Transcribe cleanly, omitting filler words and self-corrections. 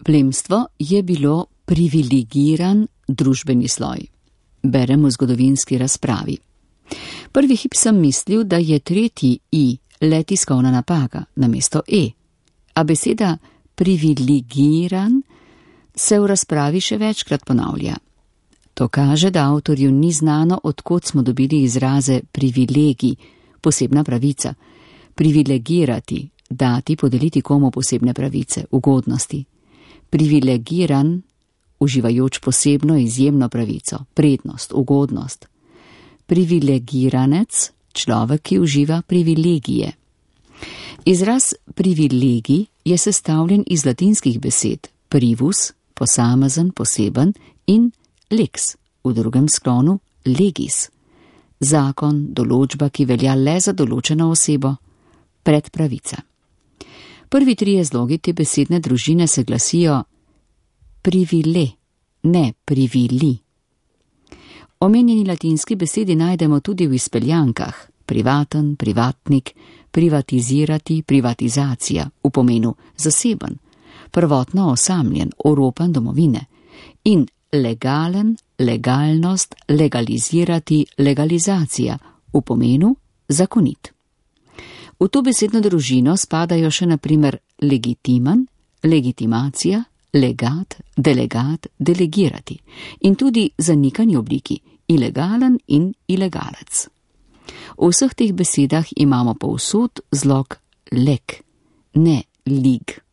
Plemstvo je bilo privilegiran družbeni sloj. Beremo v zgodovinski razpravi. Prvi hip sem mislil, da je tretji i le tiskovna napaka namesto e, a beseda privilegiran se v razpravi še večkrat ponavlja. To kaže, da avtorju ni znano, odkot smo dobili izraze privilegij, posebna pravica, privilegirati, dati, podeliti komu posebne pravice, ugodnosti. Privilegiran, uživajoč posebno izjemno pravico, prednost, ugodnost. Privilegiranec, človek, ki uživa privilegije. Izraz privilegij je sestavljen iz latinskih besed privus, posamezen, poseben, in lex, v drugem sklonu legis, zakon, določba, ki velja le za določeno osebo, predpravica. Prvi trije zlogi te besedne družine se glasijo privile, ne privili. Omenjeni latinski besedi najdemo tudi v izpeljankah privaten, privatnik, privatizirati, privatizacija v pomenu zaseben, prvotno osamljen, oropan domovine in legalen, legalnost, legalizirati, legalizacija v pomenu zakonit. V to besedno družino spadajo še na primer legitimen, legitimacija, legat, delegat, delegirati in tudi zanikani obliki ilegalen in ilegalec. V vseh teh besedah imamo povsod zlog leg, ne lig.